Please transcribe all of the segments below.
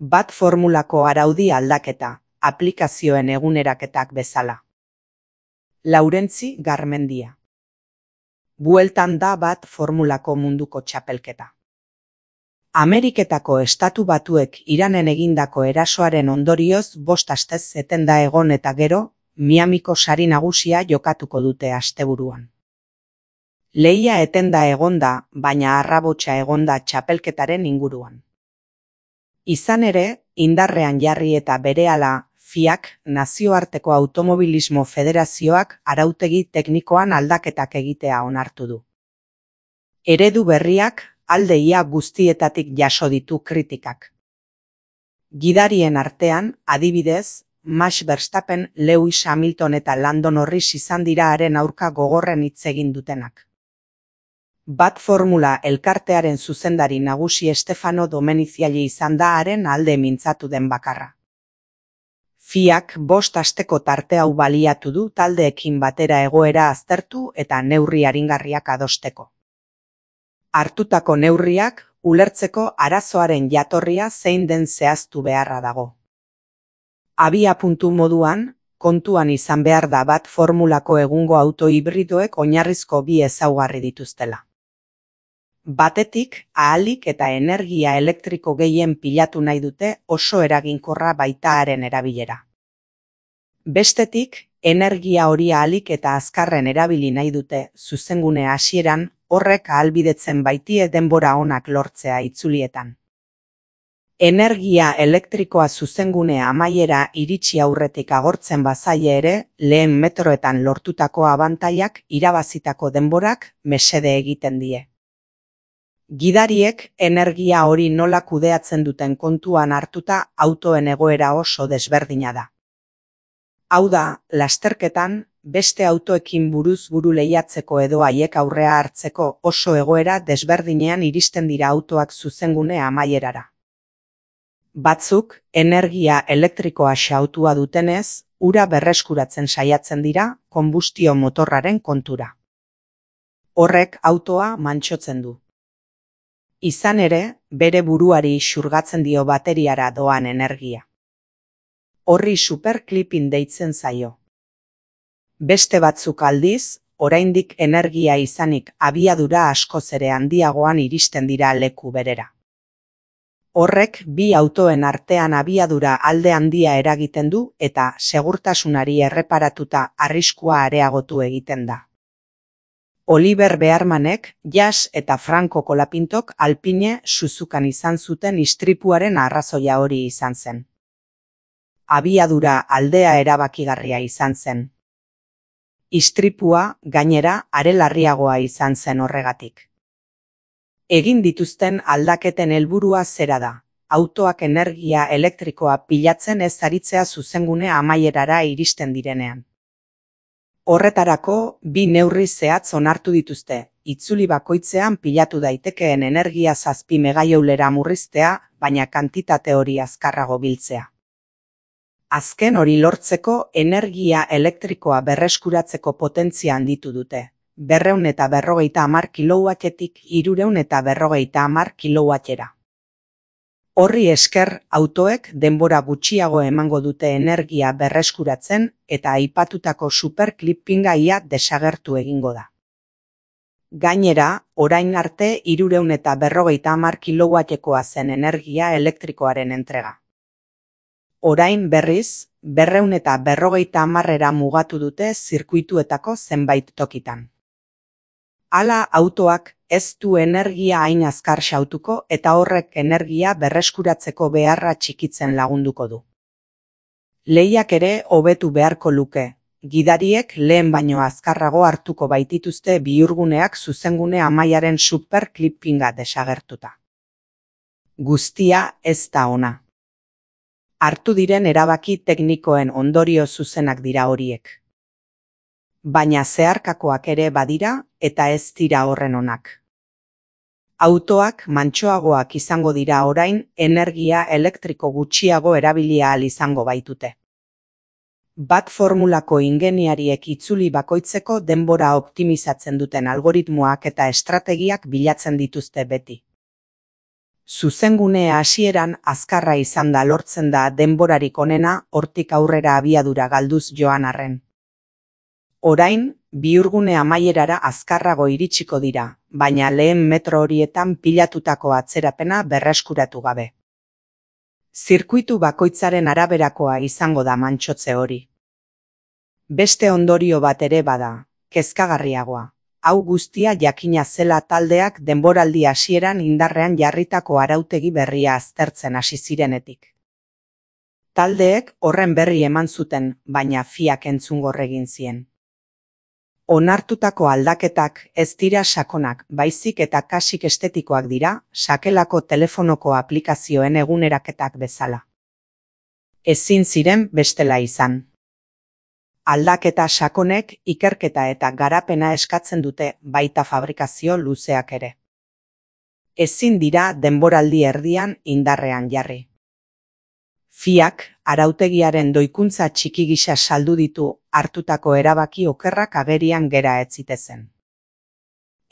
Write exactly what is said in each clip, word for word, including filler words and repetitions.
Bat formulako araudi aldaketa, aplikazioen eguneraketak bezala. Laurentzi Garmendia. Bueltan da bat formulako munduko txapelketa. Ameriketako Estatu Batuek Iranen egindako erasoaren ondorioz bost astez etenda egon eta gero, Miamiko sari nagusia jokatuko dute asteburuan. Lehia etenda egonda, baina arrabotsa egonda txapelketaren inguruan. Izan ere, indarrean jarri eta berehala, F I A K, Nazioarteko Automobilismo Federazioak arautegi teknikoan aldaketak egitea onartu du. Eredu berriak alde ia guztietatik jaso ditu kritikak. Gidarien artean, adibidez, Max Verstappen, Lewis Hamilton eta Lando Norris izan dira haren aurka gogorren hitz egin dutenak. Bat formula elkartearen zuzendari nagusi Stefano Domeniziali izan da haren alde mintzatu den bakarra. F I A K bost asteko tarte hau baliatu du taldeekin batera egoera aztertu eta neurri aringarriak adosteko. Hartutako neurriak ulertzeko arazoaren jatorria zein den zehaztu beharra dago. Abia puntu moduan, kontuan izan behar da bat formulako egungo auto hibridoek oinarrizko bi ezaugarri dituztela. Batetik, ahalik eta energia elektriko gehien pilatu nahi dute oso eraginkorra baita haren erabilera. Bestetik, energia hori ahalik eta azkarren erabili nahi dute zuzengune hasieran, horrek ahalbidetzen baitie denbora onak lortzea itzulietan. Energia elektrikoa zuzengune amaiera iritsi aurretik agortzen bazaie ere, lehen metroetan lortutako abantailak irabazitako denborak mesede egiten die. Gidariek energia hori nola kudeatzen duten kontuan hartuta autoen egoera oso desberdina da. Hau da, lasterketan, beste autoekin buruz buru lehiatzeko edo haiek aurrea hartzeko oso egoera desberdinean iristen dira autoak zuzengune amaierara. Batzuk, energia elektrikoa xautua dutenez, ura berreskuratzen saiatzen dira konbustio motorraren kontura. Horrek autoa mantsotzen du. Izan ere, bere buruari xurgatzen dio bateriara doan energia. Horri superclipping deitzen zaio. Beste batzuk aldiz, oraindik energia izanik abiadura askoz ere handiagoan iristen dira leku berera. Horrek bi autoen artean abiadura alde handia eragiten du eta segurtasunari erreparatuta arriskua areagotu egiten da. Oliver Bearmanek, Jas eta Franco Colapintok Alpine Suzukan izan zuten istripuaren arrazoia hori izan zen. Abiadura aldea erabakigarria izan zen. Istripua, gainera, are larriagoa izan zen horregatik. Egin dituzten aldaketen helburua zera da, autoak energia elektrikoa pilatzen ez aritzea zuzengune amaierara iristen direnean. Horretarako, bi neurri zehatz onartu dituzte, itzuli bakoitzean pilatu daitekeen energia zazpi megajoulera murriztea, baina kantitate hori azkarrago biltzea. Azken hori lortzeko energia elektrikoa berreskuratzeko potentzia handitu dute, berreun eta berrogeita hamar kilowattetik hirurehun eta berrogeita hamar kilowattera. Horri esker autoek denbora gutxiago emango dute energia berreskuratzen eta aipatutako superclippinga ia desagertu egingo da. Gainera, orain arte hirurehun eta berrogeita hamar kilowattekoa zen energia elektrikoaren entrega. Orain berriz, berreun eta berrogeita hamarrera mugatu dute zirkuituetako zenbait tokitan. Hala autoak ez du energia hain azkar xautuko eta horrek energia berreskuratzeko beharra txikitzen lagunduko du. Lehiak ere hobetu beharko luke, gidariek lehen baino azkarrago hartuko baitituzte bihurguneak zuzengune amaiaren superclippinga desagertuta. Guztia ez da ona. Hartu diren erabaki teknikoen ondorio zuzenak dira horiek. Baina zeharkakoak ere badira eta ez dira horren onak. Autoak mantsoagoak izango dira orain energia elektriko gutxiago erabilia ahal izango baitute. Bat formulako ingeniariek itzuli bakoitzeko denbora optimizatzen duten algoritmoak eta estrategiak bilatzen dituzte beti. Zuzengune hasieran azkarra izan da lortzen da denborarik onena hortik aurrera abiadura galduz joan arren. Orain, bihurgune amaierara azkarrago iritsiko dira, baina lehen metro horietan pilatutako atzerapena berreskuratu gabe. Zirkuitu bakoitzaren araberakoa izango da mantxotze hori. Beste ondorio bat ere bada, kezkagarriagoa. Hau guztia jakina zela taldeak denboraldi hasieran indarrean jarritako arautegi berria aztertzen hasi zirenetik. Taldeek horren berri eman zuten, baina fiak entzungor egin zien. Onartutako aldaketak ez dira sakonak, baizik eta kasik estetikoak dira, sakelako telefonoko aplikazioen eguneraketak bezala. Ezin ziren bestela izan. Aldaketa sakonek ikerketa eta garapena eskatzen dute, baita fabrikazio luzeak ere. Ezin dira denboraldi erdian indarrean jarri. Fiak, arautegiaren doikuntza txiki gisa saldu ditu hartutako erabaki okerrak agerian gera ez zitezen.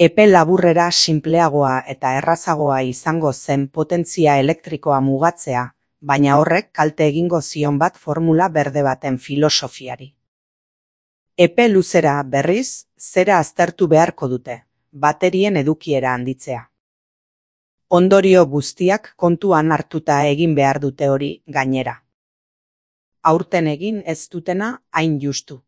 Epe laburrera sinpleagoa eta errazagoa izango zen potentzia elektrikoa mugatzea, baina horrek kalte egingo zion bat formula berde baten filosofiari. Epe luzera berriz, zera aztertu beharko dute, baterien edukiera handitzea. Ondorio guztiak kontuan hartuta egin behar dute hori gainera. Aurten egin ez dutena hain justu.